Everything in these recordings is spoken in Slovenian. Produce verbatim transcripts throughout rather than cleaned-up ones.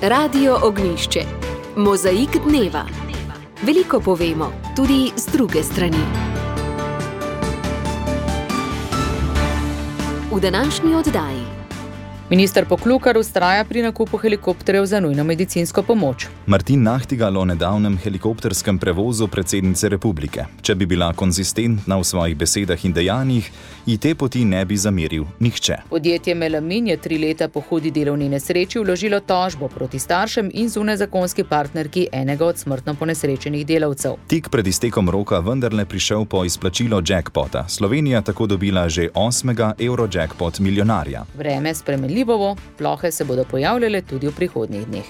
Radio Ognjišče. Mozaik dneva. Veliko povemo, tudi z druge strani. V današnji oddaji. Minister Poklukar vztraja pri nakupu helikopterjev za nujno medicinsko pomoč. Martin Nahtigal o nedavnem helikopterskem prevozu predsednice republike. Če bi bila konzistentna v svojih besedah in dejanjih, ji te poti ne bi zameril nihče. Podjetje Melamin je tri leta po hudi delovni nesreči vložilo tožbo proti staršem in zunajzakonski partnerki enega od smrtno ponesrečenih delavcev. Tik pred iztekom roka vendarle prišel po izplačilo jackpota. Slovenija tako dobila že osmega Eurojackpot milijonarja. Vreme spremenljivo, plohe se bodo pojavljale tudi v prihodnjih dneh.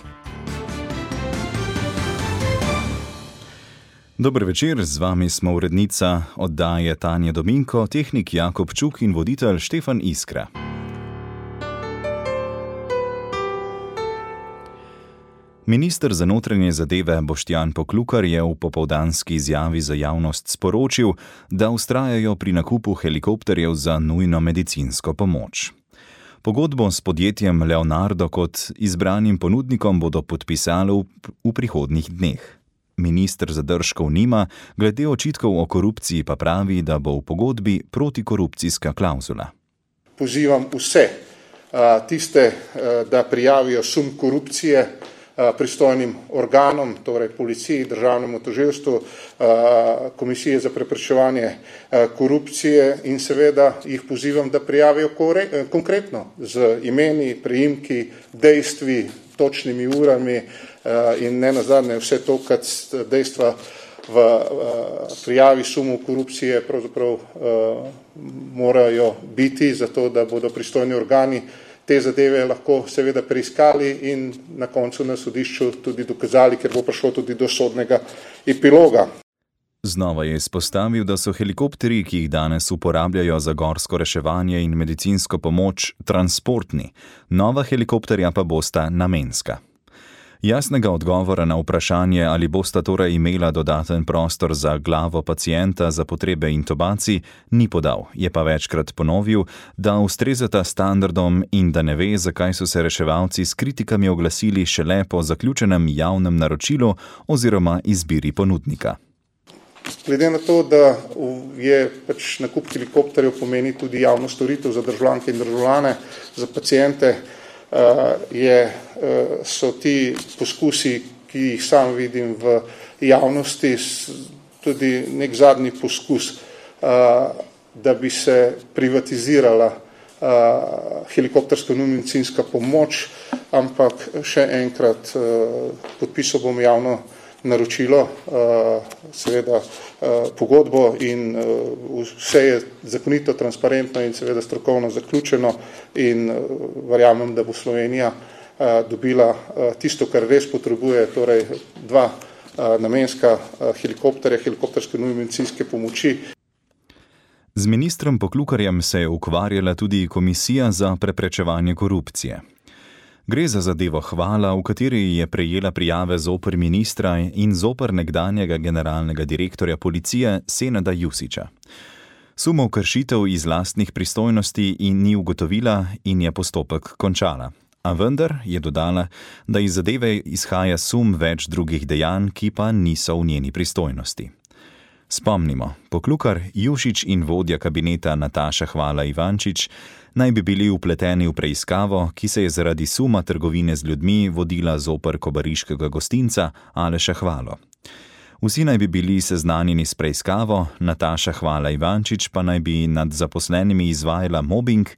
Dober večer, z vami smo urednica oddaje Tanja Dominko, tehnik Jakob Čuk in voditelj Štefan Iskra. Minister za notranje zadeve Boštjan Poklukar je v popoldanski izjavi za javnost sporočil, da vztrajajo pri nakupu helikopterjev za nujno medicinsko pomoč. Pogodbo s podjetjem Leonardo kot izbranim ponudnikom bodo podpisali v, v prihodnjih dneh. Minister zadržkov nima, glede očitkov o korupciji pa pravi, da bo v pogodbi protikorupcijska klavzula. Pozivam vse tiste, da prijavijo sum korupcije pristojnim organom, torej policiji, državnemu tožilstvu, komisije za preprečevanje korupcije in seveda jih pozivam, da prijavijo konkretno z imeni, priimki, dejstvi, točnimi urami in ne nazadnje vse to, kad dejstva v prijavi sumu korupcije pravzaprav morajo biti, zato da bodo pristojni organi te zadeve lahko seveda preiskali in na koncu na sodišču tudi dokazali, ker bo prišlo tudi do sodnega epiloga. Znova je izpostavil, da so helikopterji, ki jih danes uporabljajo za gorsko reševanje in medicinsko pomoč, transportni, nova helikopterja pa bosta namenska. Jasnega odgovora na vprašanje, ali bosta torej imela dodaten prostor za glavo pacienta za potrebe intubacij, ni podal, je pa večkrat ponovil, da ustrezata standardom in da ne ve, zakaj so se reševalci s kritikami oglasili šele po zaključenem javnem naročilu oziroma izbiri ponudnika. Glede na to, da je pač nakup helikopterjev pomeni tudi javno storitev za državljanke in državljane, za paciente, je, so ti poskusi, ki jih sam vidim v javnosti, tudi nek zadnji poskus, da bi se privatizirala helikopterska nujna medicinska pomoč, ampak še enkrat podpisal bom javno naročilo, seveda pogodbo in vse je zakonito, transparentno in seveda strokovno zaključeno in verjamem, da bo Slovenija dobila tisto, kar res potrebuje, torej dva namenska helikopterja, helikopterske nujne medicinske pomoči. Z ministrom Poklukarjem se je ukvarjala tudi Komisija za preprečevanje korupcije. Gre za zadevo Hvala, v kateri je prejela prijave zoper ministra in zoper nekdanjega generalnega direktorja policije Senada Jusića. Sumov kršitev iz lastnih pristojnosti in ni ugotovila in je postopek končala. A vendar je dodala, da iz zadeve izhaja sum več drugih dejanj, ki pa niso v njeni pristojnosti. Spomnimo, Poklukar, Jušić in vodja kabineta Nataša Hvala Ivančič naj bi bili vpleteni v preiskavo, ki se je zaradi suma trgovine z ljudmi vodila zoper kobariškega gostinca Aleša Hvalo. Vsi naj bi bili seznanjeni s preiskavo, Nataša Hvala Ivančič pa naj bi nad zaposlenimi izvajala mobbing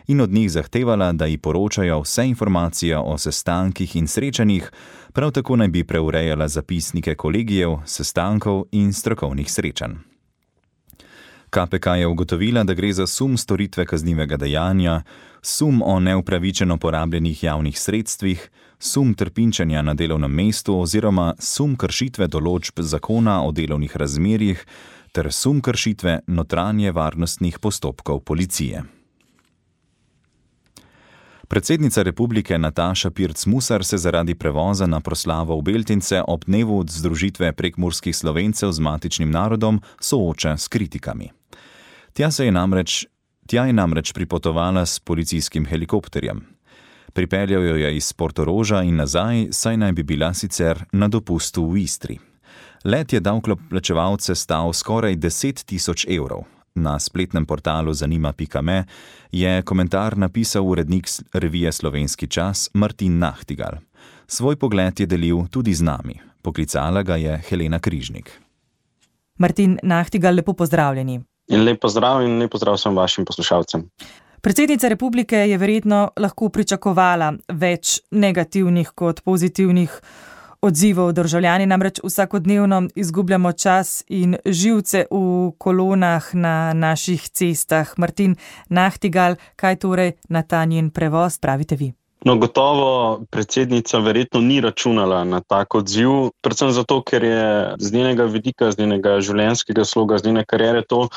in od njih zahtevala, da ji poročajo vse informacije o sestankih in srečanjih, prav tako naj bi preurejala zapisnike kolegijev, sestankov in strokovnih srečanj. K P K je ugotovila, da gre za sum storitve kaznivega dejanja, sum o neupravičeno porabljenih javnih sredstvih, sum trpinčenja na delovnem mestu oziroma sum kršitve določb zakona o delovnih razmerjih ter sum kršitve notranje varnostnih postopkov policije. Predsednica republike Nataša Pirc Musar se zaradi prevoza na proslavo v Beltince ob dnevu združitve prekmurskih Slovencev z matičnim narodom sooča s kritikami. Tja se je namreč, tja je namreč pripotovala s policijskim helikopterjem. Pripeljal jo je iz Portoroža in nazaj, saj naj bi bila sicer na dopustu v Istri. Let je davkoplačevalce stal skoraj deset tisoč evrov. Na spletnem portalu zanima pika me je komentar napisal urednik revije Slovenski čas Martin Nahtigal. Svoj pogled je delil tudi z nami. Poklicala ga je Helena Križnik. Martin Nahtigal, lepo pozdravljeni. In lep pozdrav in lep pozdrav vsem vašim poslušalcem. Predsednica republike je verjetno lahko pričakovala več negativnih kot pozitivnih odzivov. Državljani namreč vsakodnevno izgubljamo čas in živce v kolonah na naših cestah. Martin Nahtigal, kaj torej na ta njen prevoz pravite vi? No, gotovo predsednica verjetno ni računala na tak odziv, predvsem zato, ker je z njenega vidika, z njenega življenjskega sloga, z njene kariere to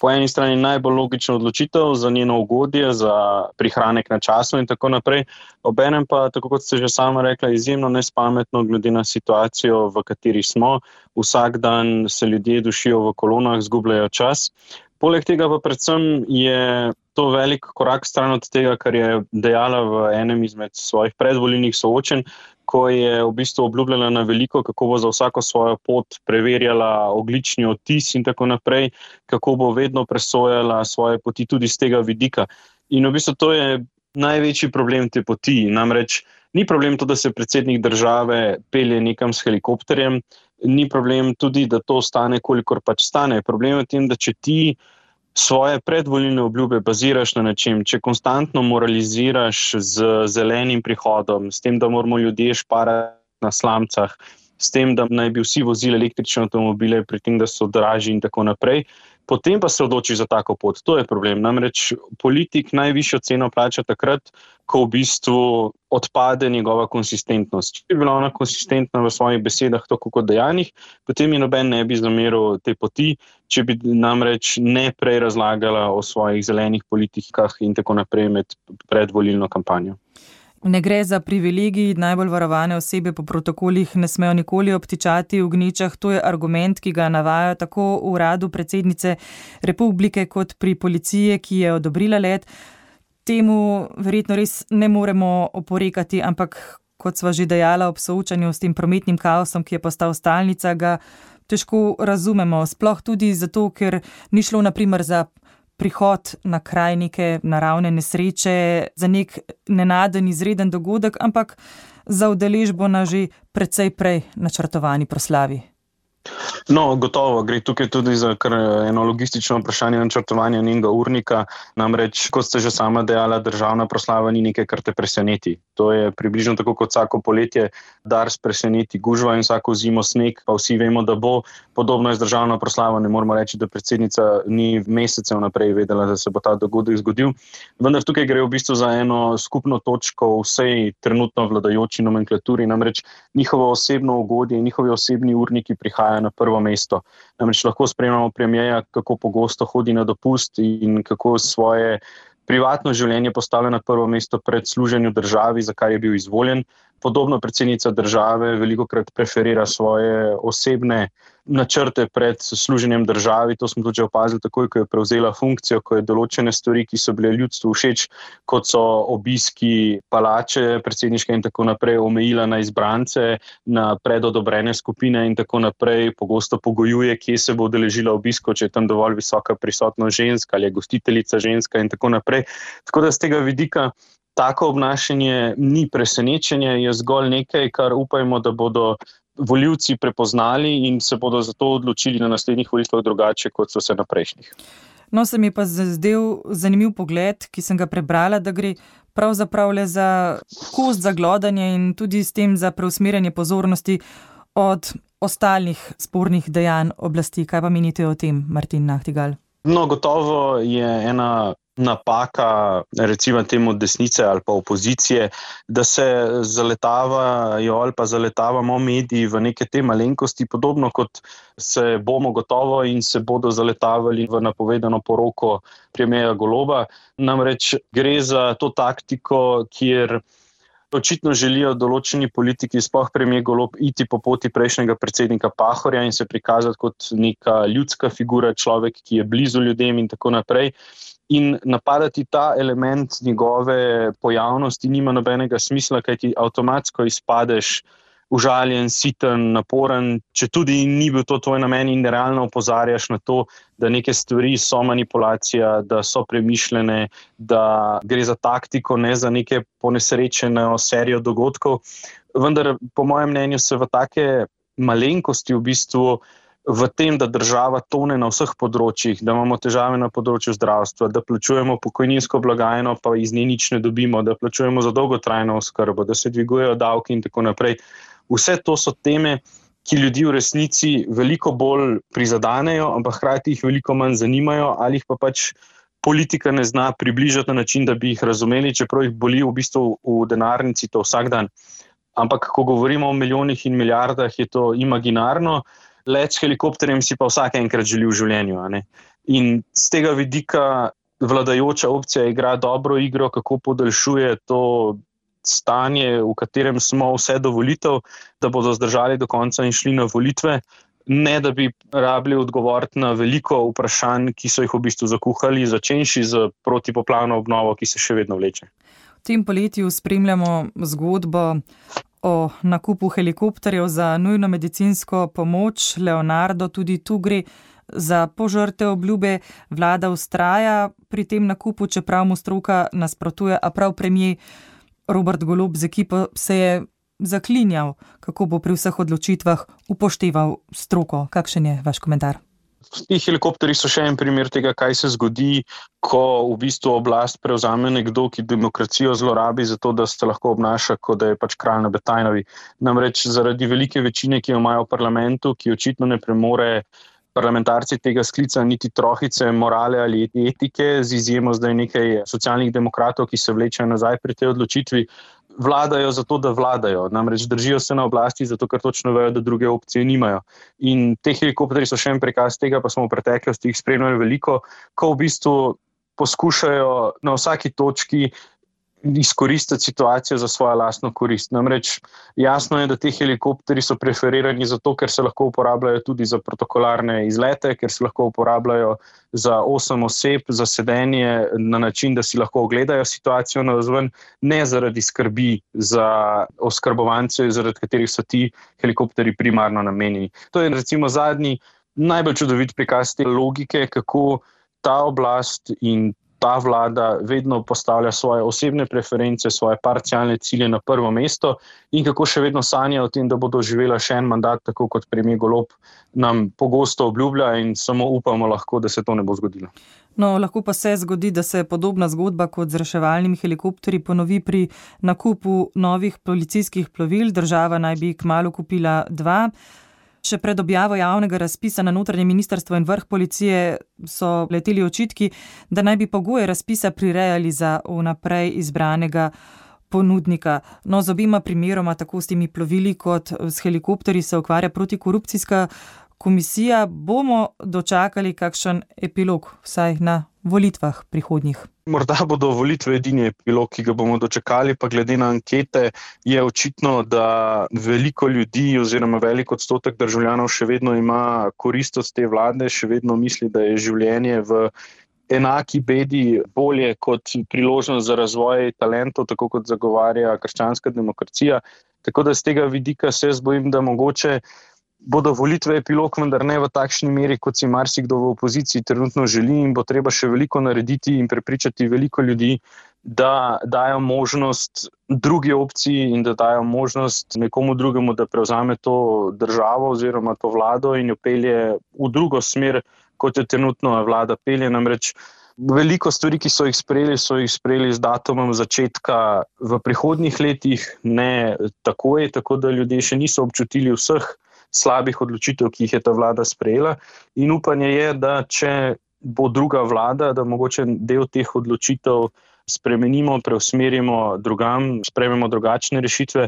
po eni strani najbolj logična odločitev za njeno ugodje, za prihranek na času in tako naprej. Obenem pa, tako kot ste že sama rekla, izjemno nespametno glede na situacijo, v kateri smo. Vsak dan se ljudje dušijo v kolonah, zgubljajo čas. Poleg tega pa predvsem je to velik korak stran od tega, kar je dejala v enem izmed svojih predvolilnih soočenj, ko je v bistvu obljubljala na veliko, kako bo za vsako svojo pot preverjala ogljični odtis in tako naprej, kako bo vedno presojala svoje poti tudi z tega vidika. In v bistvu to je največji problem te poti. Namreč ni problem to, da se predsednik države pelje nekam s helikopterjem, ni problem tudi, da to stane, kolikor pač stane. Problem je v tem, da če ti svoje predvolilne obljube baziraš na nečem, če konstantno moraliziraš z zelenim prihodom, s tem, da moramo ljudje šparati na slamcah, s tem, da naj bi vsi vozili električne avtomobile, pri tem, da so dražji in tako naprej, potem pa se odloči za tako pot. To je problem. Namreč politik najvišjo ceno plača takrat, ko v bistvu odpade njegova konsistentnost. Če bi bila ona konsistentna v svojih besedah, tako kot dejanjih, potem je noben ne bi zameril te poti, če bi namreč ne prej razlagala o svojih zelenih politikah in tako naprej med predvolilno kampanjo. Ne gre za privilegij, najbolj varovane osebe po protokolih ne smejo nikoli obtičati v gnečah. To je argument, ki ga navajajo tako v uradu predsednice republike kot pri policiji, ki je odobrila let. Temu verjetno res ne moremo oporekati, ampak kot sva že dejala ob soočanju s tem prometnim kaosom, ki je postal stalnica, ga težko razumemo. Sploh tudi zato, ker ni šlo na primer za prihod na kraj neke naravne nesreče, za nek nenaden izreden dogodek, ampak za udeležbo na že precej prej načrtovani proslavi. No, gotovo, gre tukaj tudi za kar eno logistično vprašanje načrtovanja njenega urnika. Namreč, kot ste že sama dejala, državna proslava ni nekaj, kar te preseneti. To je približno tako kot vsako poletje Dars preseneti gužva in vsako zimo sneg, pa vsi vemo, da bo. Podobno je z državno proslavo, ne moramo reči, da predsednica ni mesecev naprej vedela, da se bo ta dogodek zgodil. Vendar tukaj gre v bistvu za eno skupno točko vsej trenutno vladajoči nomenklaturi, namreč njihovo osebno ugodje in njihovi osebni urniki prihajajo na prvo mesto. Namreč lahko spremljamo premierja, kako pogosto hodi na dopust in kako svoje privatno življenje postavlja na prvo mesto pred služenju državi, za kar je bil izvoljen. Podobno predsednica države velikokrat preferira svoje osebne načrte pred služenjem državi. To smo tudi že opazili takoj, ko je prevzela funkcijo, ko je določene stvari, ki so bile ljudstvu všeč, kot so obiski palače predsedniške in tako naprej, omejila na izbrance, na predodobrene skupine in tako naprej. Pogosto pogojuje, kje se bo udeležila obisko, če je tam dovolj visoka prisotnost žensk ali je gostiteljica ženska in tako naprej. Tako da z tega vidika tako obnašanje ni presenečenje, je zgolj nekaj, kar upajmo, da bodo volivci prepoznali in se bodo zato odločili na naslednjih volitvah drugače, kot so se na prejšnjih. No, se mi pa zdel zanimiv pogled, ki sem ga prebrala, da gre pravzaprav le za kost za glodanje in tudi s tem za preusmerjanje pozornosti od ostalih spornih dejanj oblasti. Kaj pa menite o tem, Martin Nahtigal? No, gotovo je ena napaka, recimo temu desnice ali pa opozicije, da se zaletavajo ali pa zaletavamo mediji v neke te malenkosti, podobno kot se bomo gotovo in se bodo zaletavali v napovedano poroko premierja Goloba. Namreč gre za to taktiko, kjer očitno želijo določeni politiki, sploh premier Golob, iti po poti prejšnjega predsednika Pahorja in se prikazati kot neka ljudska figura, človek, ki je blizu ljudem in tako naprej. In napadati ta element njegove pojavnosti nima nobenega smisla, kaj ti avtomatsko izpadeš užaljen, siten, naporen, če tudi ni bil to tvoj namen in realno opozarjaš na to, da neke stvari so manipulacija, da so premišljene, da gre za taktiko, ne za neke ponesrečene serijo dogodkov. Vendar, po mojem mnenju, se v take malenkosti v bistvu v tem, da država tone na vseh področjih, da imamo težave na področju zdravstva, da plačujemo pokojninsko blagajno, pa iz nje nič ne dobimo, da plačujemo za dolgotrajno oskrbo, da se dvigujejo davki in tako naprej. Vse to so teme, ki ljudi v resnici veliko bolj prizadanejo, ampak hkrati jih veliko manj zanimajo ali jih pa pač politika ne zna približati na način, da bi jih razumeli, čeprav jih boli v bistvu v denarnici to vsak dan. Ampak, ko govorimo o milijonih in milijardah, je to imaginarno, let s helikopterjem si pa vsak enkrat želi v življenju. A ne? In z tega vidika vladajoča opcija igra dobro igro, kako podaljšuje to stanje, v katerem smo vse do volitev, da bodo zdržali do konca in šli na volitve, ne da bi rabili odgovoriti na veliko vprašanj, ki so jih v bistvu zakuhali, začenši z protipoplavno obnovo, ki se še vedno vleče. V tem poletju spremljamo zgodbo o nakupu helikopterjev za nujno medicinsko pomoč. Leonardo, tudi tu gre za požrte obljube. Vlada vztraja pri tem nakupu, čeprav mu stroka nasprotuje, a prav premier Robert Golob z ekipo se je zaklinjal, kako bo pri vseh odločitvah upošteval stroko. Kakšen je vaš komentar? Ti helikopteri so še en primer tega, kaj se zgodi, ko v bistvu oblast prevzame nekdo, ki demokracijo zlorabi za to, da se lahko obnaša, kot da je pač kralj na Betajnovi. Namreč zaradi velike večine, ki jo imajo v parlamentu, ki očitno ne premore parlamentarci tega sklica niti trohice morale ali etike, z izjemo zdaj nekaj socialnih demokratov, ki se vlečejo nazaj pri tej odločitvi, vladajo zato, da vladajo. Namreč držijo se na oblasti zato, ker točno vejo, da druge opcije nimajo. In te helikopteri so še en prikaz tega, pa smo v preteklosti jih spremljali veliko, ko v bistvu poskušajo na vsaki točki izkoristiti situacijo za svojo lastno korist. Namreč jasno je, da te helikopteri so preferirani zato, ker se lahko uporabljajo tudi za protokolarne izlete, ker se lahko uporabljajo za osem oseb, za sedenje na način, da si lahko ogledajo situacijo navzven, ne zaradi skrbi za oskrbovance, zaradi katerih so ti helikopteri primarno namenjeni. To je recimo zadnji najbolj čudovit prikaz te logike, kako ta oblast in ta vlada vedno postavlja svoje osebne preference, svoje parcialne cilje na prvo mesto in kako še vedno sanja o tem, da bodo živela še en mandat, tako kot premier Golob nam pogosto obljublja in samo upamo lahko, da se to ne bo zgodilo. No, lahko pa se zgodi, da se podobna zgodba kot z reševalnimi helikopterji ponovi pri nakupu novih policijskih plovil. Država naj bi kmalu kupila dva. Še pred objavo javnega razpisa na notranje ministrstvo in vrh policije so leteli očitki, da naj bi pogoje razpisa prirejali za vnaprej izbranega ponudnika. No, z obima primeroma, tako s temi plovili kot s helikopterji, se ukvarja protikorupcijska komisija. Bomo dočakali kakšen epilog, vsaj na volitvah prihodnjih? Morda bodo volitve edini epilog, ki ga bomo dočakali, pa glede na ankete je očitno, da veliko ljudi oziroma velik odstotek državljanov še vedno ima korist od te vlade, še vedno misli, da je življenje v enaki bedi bolje kot priložnost za razvoj talentov, tako kot zagovarja krščanska demokracija. Tako da z tega vidika se jaz bojim, da mogoče bodo volitve epilog, vendar ne v takšni meri, kot si marsikdo v opoziciji trenutno želi, in bo treba še veliko narediti in prepričati veliko ljudi, da dajo možnost drugi opciji in da dajo možnost nekomu drugemu, da prevzame to državo oziroma to vlado in jo pelje v drugo smer, kot jo trenutno vlada pelje. Namreč veliko stvari, ki so jih sprejeli, so jih sprejeli z datumom začetka v prihodnjih letih, ne takoj, tako da ljudje še niso občutili vseh slabih odločitev, ki jih je ta vlada sprejela, in upanje je, da če bo druga vlada, da mogoče del teh odločitev spremenimo, preusmerimo drugam, sprejmemo drugačne rešitve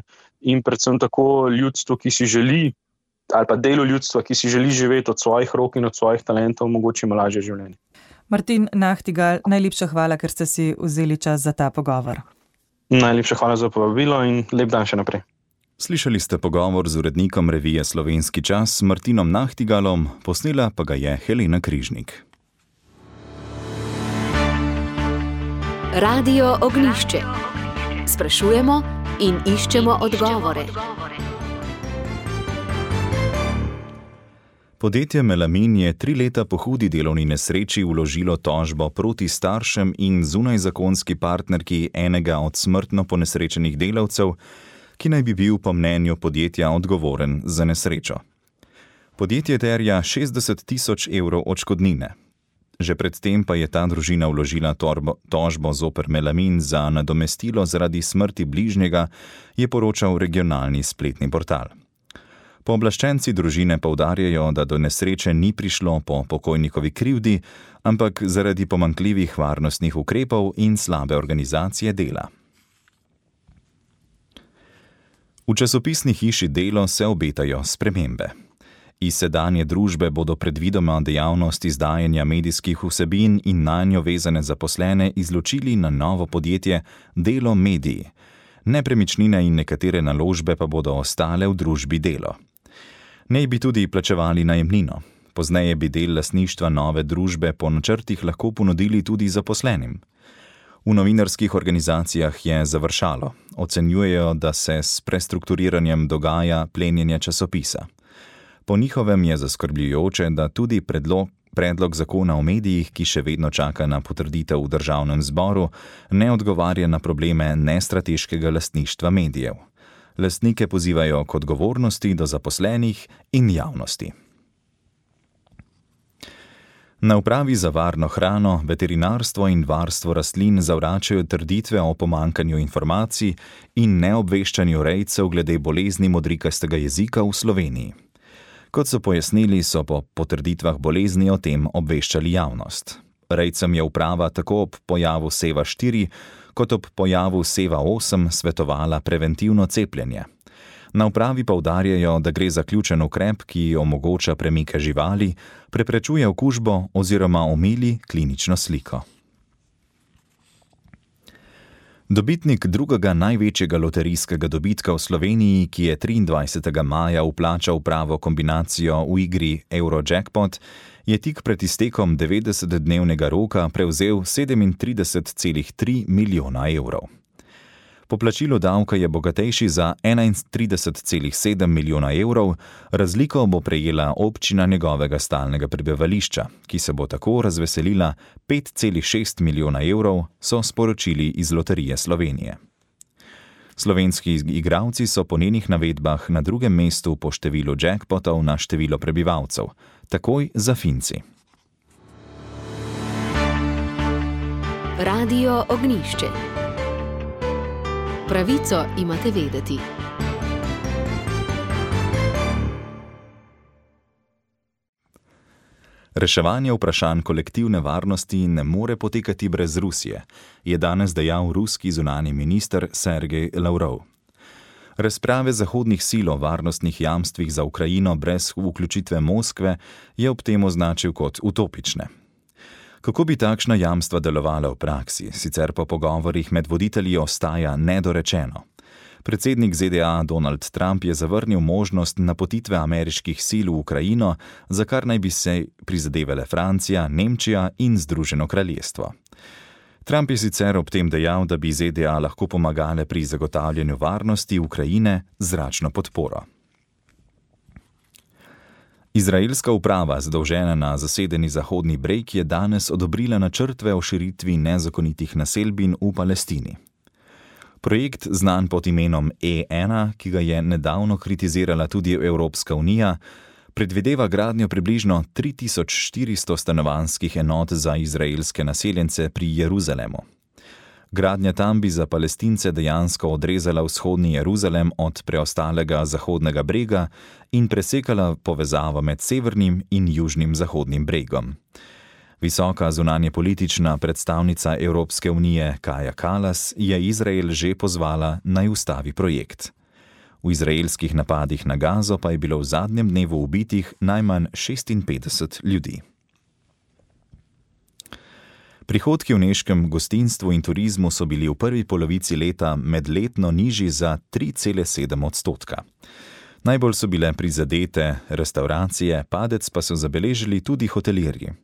in predvsem tako ljudstvo, ki si želi, ali pa delu ljudstva, ki si želi živeti od svojih rok in od svojih talentov, omogočimo lažje življenje. Martin Nahtigal, najlepša hvala, ker ste si vzeli čas za ta pogovor. Najlepša hvala za povabilo in lep dan še naprej. Slišali ste pogovor z urednikom revije Slovenski čas Martinom Nahtigalom, posnela pa ga je Helena Križnik. Radio Ognjišče. Sprašujemo in iščemo odgovore. Podjetje Melamin je tri leta po hudi delovni nesreči vložilo tožbo proti staršem in zunajzakonski partnerki enega od smrtno ponesrečenih delavcev, ki naj bi bil po mnenju podjetja odgovoren za nesrečo. Podjetje terja šestdeset tisoč evrov odškodnine. Že predtem pa je ta družina vložila torbo, tožbo zoper Melamin za nadomestilo zaradi smrti bližnjega, je poročal regionalni spletni portal. Pooblaščenci družine poudarjajo, da do nesreče ni prišlo po pokojnikovi krivdi, ampak zaradi pomanjkljivih varnostnih ukrepov in slabe organizacije dela. V časopisni hiši Delo se obetajo spremembe. Iz sedanje družbe bodo predvidoma dejavnost izdajanja medijskih vsebin in nanjo vezane zaposlene izločili na novo podjetje Delo Mediji. Nepremičnine in nekatere naložbe pa bodo ostale v družbi Delo. Nej bi tudi plačevali najemnino. Pozneje bi del lastništva nove družbe po načrtih lahko ponudili tudi zaposlenim. V novinarskih organizacijah je završalo. Ocenjujejo, da se s prestrukturiranjem dogaja plenjenje časopisa. Po njihovem je zaskrbljujoče, da tudi predlog, predlog zakona o medijih, ki še vedno čaka na potrditev v državnem zboru, ne odgovarja na probleme nestrateškega lastništva medijev. Lastnike pozivajo k odgovornosti do zaposlenih in javnosti. Na upravi za varno hrano, veterinarstvo in varstvo rastlin zavračajo trditve o pomanjkanju informacij in neobveščanju rejcev glede bolezni modrikastega jezika v Sloveniji. Kot so pojasnili, so po potrditvah bolezni o tem obveščali javnost. Rejcem je uprava tako ob pojavu seva štiri kot ob pojavu seva osem svetovala preventivno cepljenje. Na upravi poudarjajo, da gre za ključen ukrep, ki omogoča premike živali, preprečuje okužbo oziroma omili klinično sliko. Dobitnik drugega največjega loterijskega dobitka v Sloveniji, ki je triindvajsetega maja vplačal pravo kombinacijo v igri Eurojackpot, je tik pred iztekom devetdesetdnevnega roka prevzel sedemintrideset celih tri milijona evrov. Po plačilu davka je bogatejši za enaintrideset celih sedem milijona evrov, razliko bo prejela občina njegovega stalnega prebivališča, ki se bo tako razveselila pet celih šest milijona evrov, so sporočili iz Loterije Slovenije. Slovenski igralci so po njenih navedbah na drugem mestu po številu jackpotov na število prebivalcev, takoj za Finci. Radio Ognjišče. Pravico imate vedeti. Reševanje vprašanj kolektivne varnosti ne more potekati brez Rusije, je danes dejal ruski zunanji minister Sergej Lavrov. Razprave zahodnih sil o varnostnih jamstvih za Ukrajino brez vključitve Moskve je ob tem označil kot utopične. Kako bi takšna jamstva delovala v praksi, sicer po pogovorih med voditelji ostaja nedorečeno. Predsednik Z D A Donald Trump je zavrnil možnost napotitve ameriških sil v Ukrajino, za kar naj bi se prizadevale Francija, Nemčija in Združeno kraljestvo. Trump je sicer ob tem dejal, da bi Z D A lahko pomagale pri zagotavljanju varnosti Ukrajine z zračno podporo. Izraelska uprava, zadolžena na zasedeni Zahodni breg, je danes odobrila načrtve o širitvi nezakonitih naselbin v Palestini. Projekt, znan pod imenom E ena, ki ga je nedavno kritizirala tudi Evropska unija, predvideva gradnjo približno tri tisoč štiristo stanovanjskih enot za izraelske naseljence pri Jeruzalemu. Gradnja tam bi za Palestince dejansko odrezala vzhodni Jeruzalem od preostalega Zahodnega brega in presekala povezavo med severnim in južnim Zahodnim bregom. Visoka zunanjepolitična predstavnica Evropske unije Kaja Kallas je Izrael že pozvala, naj ustavi projekt. V izraelskih napadih na Gazo pa je bilo v zadnjem dnevu ubitih najmanj šestinpetdeset ljudi. Prihodki v nemškem gostinstvu in turizmu so bili v prvi polovici leta medletno nižji za tri cele sedem odstotka. Najbolj so bile prizadete restavracije, padec pa so zabeležili tudi hotelirji.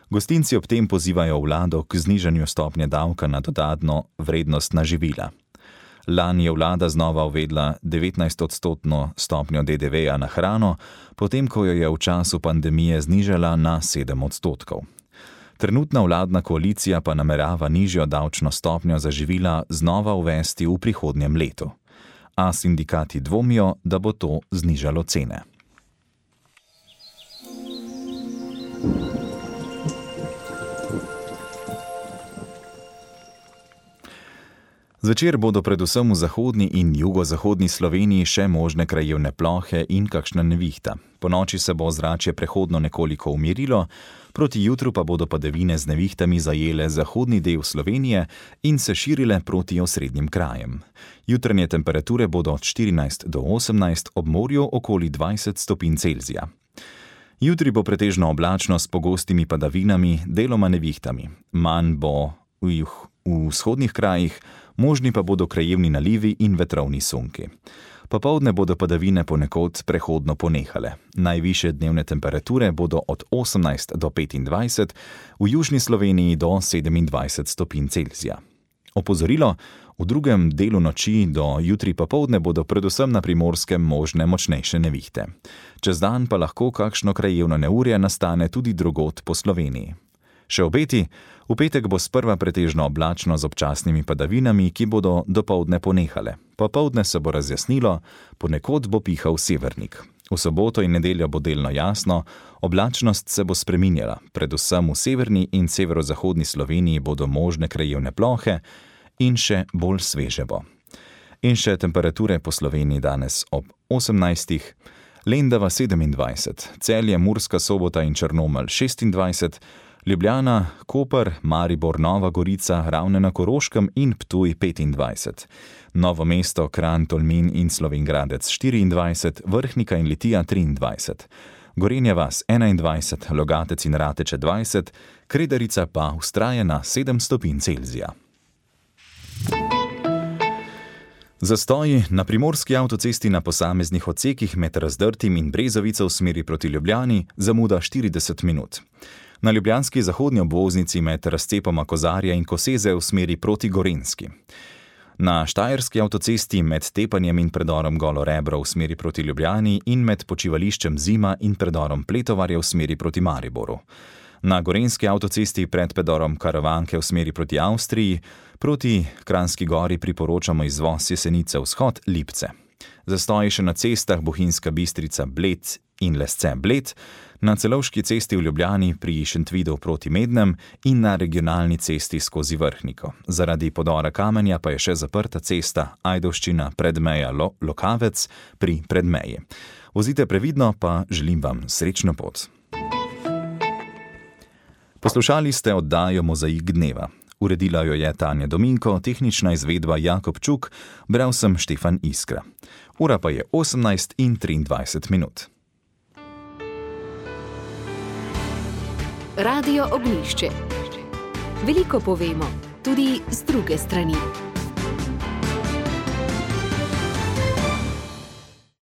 Gostinci ob tem pozivajo vlado k znižanju stopnje davka na dodatno vrednost na živila. Lani je vlada znova uvedla devetnajstodstotno stopnjo D D V-ja na hrano, potem ko jo je v času pandemije znižala na sedem odstotkov. Trenutna vladna koalicija pa namerava nižjo davčno stopnjo za živila znova uvesti v prihodnjem letu. A sindikati dvomijo, da bo to znižalo cene. Zvečer bodo predvsem v zahodni in jugozahodni Sloveniji še možne krajevne plohe in kakšna nevihta. Ponoči se bo ozračje prehodno nekoliko umirilo, proti jutru pa bodo padavine z nevihtami zajele zahodni del Slovenije in se širile proti osrednjim krajem. Jutranje temperature bodo od štirinajst do osemnajst, ob morju okoli dvajset stopinj Celzija. Jutri bo pretežno oblačno s pogostimi padavinami, deloma nevihtami. Manj bo v, v vzhodnih krajih, možni pa bodo krajevni nalivi in vetrovni sunki. Popoldne bodo padavine ponekod prehodno ponehale. Najvišje dnevne temperature bodo od osemnajst do petindvajset, v južni Sloveniji do sedemindvajset stopinj Celzija. Opozorilo, v drugem delu noči do jutri popoldne bodo predvsem na Primorskem možne močnejše nevihte. Čez dan pa lahko kakšno krajevno neurje nastane tudi drugod po Sloveniji. Še obeti, v petek bo sprva pretežno oblačno z občasnimi padavinami, ki bodo dopoldne ponehale. Popoldne se bo razjasnilo, ponekod bo pihal severnik. V soboto in nedeljo bo delno jasno, oblačnost se bo spreminjala. Predvsem v severni in severozahodni Sloveniji bodo možne krajevne plohe in še bolj sveže bo. In še temperature po Sloveniji danes ob osemnajstih, Lendava sedemindvajset, Celje, Murska Sobota in Črnomelj šestindvajset, Ljubljana, Koper, Maribor, Nova Gorica, Ravne na Koroškem in Ptuj petindvajset. Novo mesto, Kranj, Tolmin in Slovenj Gradec štiriindvajset, Vrhnika in Litija triindvajset. Gorenja vas enaindvajset, Logatec in Rateče dvajset, Kredarica pa vztraja na sedem stopinj Celzija. Zastoji na primorski avtocesti na posameznih odsekih med Razdrtim in Brezovico v smeri proti Ljubljani zamuda štirideset minut. Na ljubljanski zahodni obvoznici med razcepoma Kozarja in Koseze v smeri proti Gorenjski. Na štajerski avtocesti med Tepanjem in predorom Golo Rebro v smeri proti Ljubljani in med počivališčem Zima in predorom Pletovarja v smeri proti Mariboru. Na gorenjski avtocesti pred predorom Karavanke v smeri proti Avstriji, proti Kranjski Gori priporočamo izvoz Jesenice vzhod Lipce. Zastoji še na cestah Bohinjska Bistrica Bled in Lesce Bled, na Celovški cesti v Ljubljani pri Šentvidu proti Mednem in na regionalni cesti skozi Vrhniko. Zaradi podora kamenja pa je še zaprta cesta Ajdovščina Predmeja Lokavec pri Predmeji. Vozite previdno, pa želim vam srečno pot. Poslušali ste oddajo Mozaik dneva. Uredila jo je Tanja Dominko, tehnična izvedba Jakob Čuk, bral sem Štefan Iskra. Ura pa je osemnajst in triindvajset minut. Radio Ognjišče. Veliko povemo, tudi z druge strani.